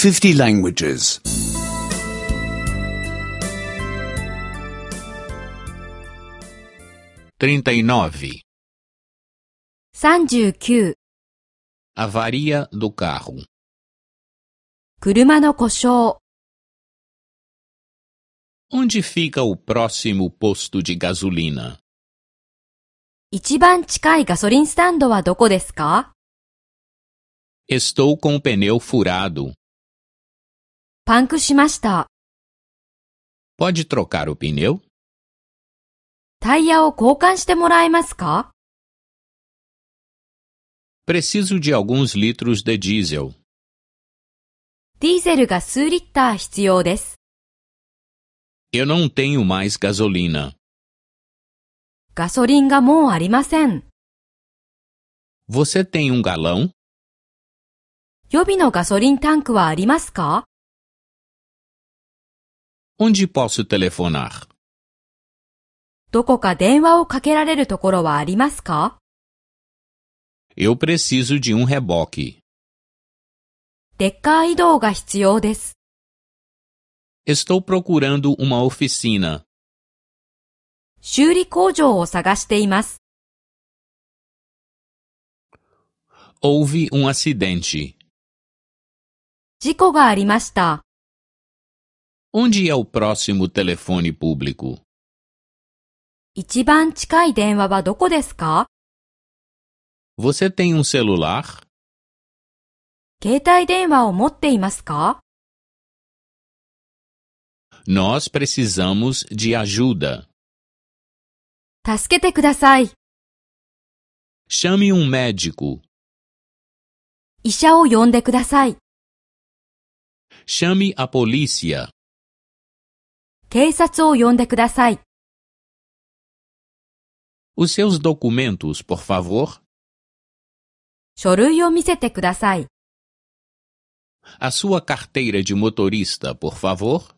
50 languages. 39. 39. Avaria do carro. 車の故障。Onde fica o próximo posto de gasolina? 一番近いガソリンスタンドはどこですか？ Estou com o pneu furado. パンクしました。Pode trocar o pneu? タイヤを交換してもらえますか？ Preciso de alguns litros de diesel. ディーゼルが数リッター必要です。Eu não tenho mais gasolina. ガソリンがもうありません。Você tem um galão? 予備のガソリンタンクはありますか？ Onde posso telefonar? どこか電話をかけられるところはありますか？ Eu preciso de um reboque. レッカー移動が必要です。Estou procurando uma oficina. 修理工場を探しています。Houve um acidente. 事故がありました。Onde é o próximo telefone público? 一番近い電話はどこですか？ Você tem um celular? 携帯電話を持っていますか？ Nós precisamos de ajuda. 助けてください。 Chame um médico. 医者を呼んでください。 Chame a polícia. 警察を呼んでください。 Os seus documentos, por favor. 書類を見せてください。 A sua carteira de motorista, por favor.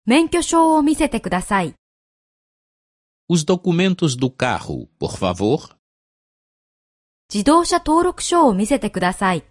免許証を見せてください。 Os documentos do carro, por favor. 自動車登録書を見せてください。